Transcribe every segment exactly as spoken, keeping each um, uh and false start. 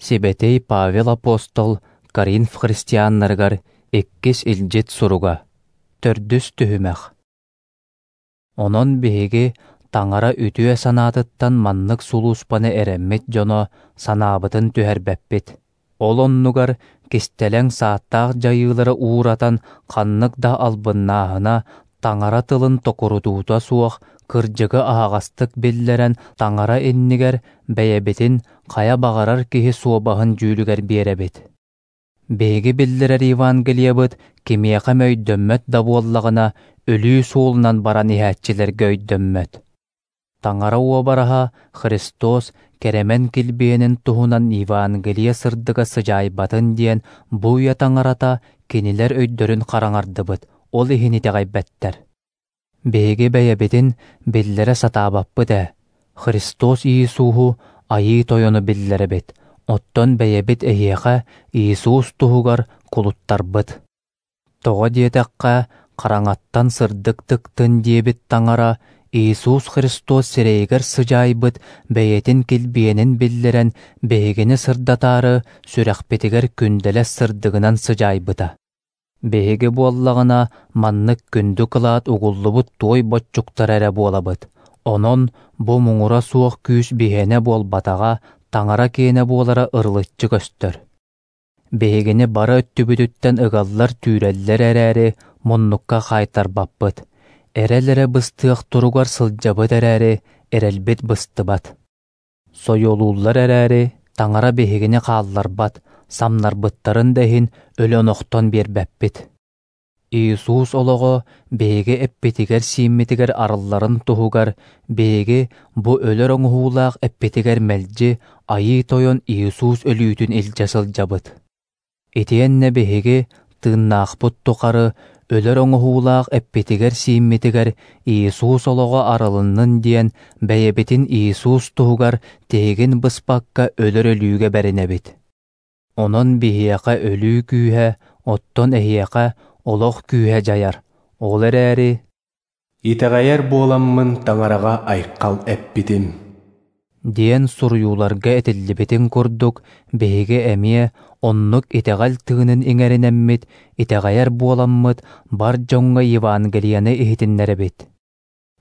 Сибэтэй Павел апостол Коринф христианнарыгар иккис илдьит суруга, төрдүс түһүмэх. Онон биһиги Таҥара үтүө санаатыттан маннык сулууспаны эрэммит дьоно санаабытын түһэрбэппит. Ол оннугар кистэлэҥ сааттаах дьайыылары ууратан ханнык да албыннааһына, Таҥара тылын токурутуута суох кырдьыгы аһаҕастык биллэрэн Таҥара иннигэр бэйэбитин хайа баҕарар киһи суобаһын дьүүлүгэр биэрэбит. Биһиги биллэрэр Евангелиебыт кимиэхэ эмэ өйдөммөт да буоллаҕына, өлүү суолунан баран иһээччилэргэ өйдөммөт. Таҥара уобараһа Христос кэрэмэн килбиэнин туһунан Евангелие сырдыга сыдьаайбатын диэн бу үйэ таҥарата кинилэр өйдөрүн хараҥардыбыт, ол иһин итэҕэйбэттэр. Биһиги бэйэбитин биллэрэ сатаабаппыт ээ, Христос Иисуһу Айыы Тойону биллэрэбит, оттон бэйэбит эһиэхэ Иисус туһугар кулуттарбыт. Тоҕо диэтэххэ, хараҥаттан сырдык тыктын диэбит Таҥара Иисус Христос сирэйигэр сыдьаайбыт бэйэтин килбиэнин биллэрэн биһигини сырдатаары сүрэхпитигэр күндэлэс сырдыгынан сыдьаайбыта. Биһиги буоллаҕына маннык күндү кылаат угуллубут туой боччуктара эрэ буолабыт. Онон бу муҥура суох күүс биһиэнэ буолбатаҕа, Таҥара киэнэ буолара ырылыччы көстөр. Биһигини бары өттүбүтүттэн ыгаллар-түүрэллэр эрээри, муннукка хаайтарбаппыт. Эрэл эрэ быстыах туругар сылдьабыт эрээри, эрэлбит быстыбат. Сойуолууллар эрээри, Таҥара биһигини хаалларбат, самнарбыттарын да иһин өлөн охтон биэрбэппит. Иисус олоҕо биһиги эппитигэр-сииммитигэр арылларын туһугар биһиги бу өлөр оҥоһуулаах эппитигэр мэлдьи Айыы Тойон Иисус өлүүтүн илдьэ сылдьабыт. Итиэннэ биһиги тыыннаахпыт тухары өлөр оҥоһуулаах эппитигэр-сииммитигэр Иисус олоҕо арылыннын диэн бэйэбитин Иисус туһугар тиһигин быспакка өлөр өлүүгэ бэринэбит. Онон биһиэхэ өлүү күүһэ, оттон эһиэхэ олох күүһэ дьайар. Ол эрээри «Итэҕэйэр буоламмын Таҥараҕа айхал эппитим» диэн суруйууларга этиллибитин курдук, биһиги эмиэ оннук итэҕэл тыынын иҥэринэммит, итэҕэйэр буоламмыт, бар дьоҥҥо Евангелиены иһитиннэрэбит.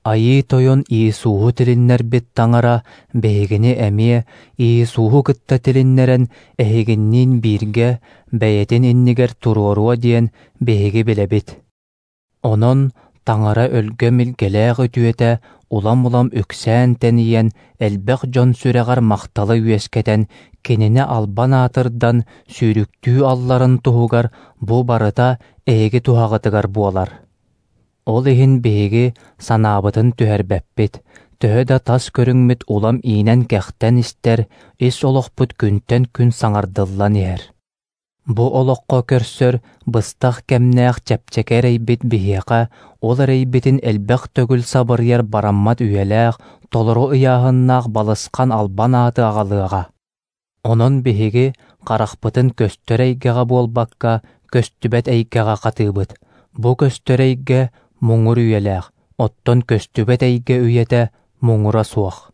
Айыы Тойон Иисуһу тилиннэрбит Таҥара биһигини эмиэ Иисуһу кытта тилиннэрэн эһигинниин бииргэ бэйэтин иннигэр туруоруо диэн биһиги билэбит. Онон Таҥара өлгөм илгэлээх үтүөтэ улам-улам үксээн тэнийэн, элбэх дьон сүрэҕэр махталы үөскэтэн, кинини албан аатырдан сүүрүктүү алларын туһугар бу барыта эһиги туһаҕытыгар буолар. Ол иһин биһиги санаабытын түһэрбэппит, төһө да тас көрүҥмүт улам иинэн-кэхтэн истэр, ис олохпут күнтэн күн саҥардыллан иһэр. Бу олоххо көрсөр быстах кэмнээх чэпчэки эрэйбит биһиэхэ, ол эрэйбитин элбэх төгүл сабырыйар бараммат үйэлээх, толору ыйааһыннаах балысхан албан ааты аҕалыаҕа. Онон биһиги харахпытын көстөр эйгэҕэ буолбакка, көстүбэт эйгэҕэ хатыыбыт. Бу көстөр эйгэ муҥур үйэлээх, оттон көстүбэт эйгэ үйэтэ муҥура суох.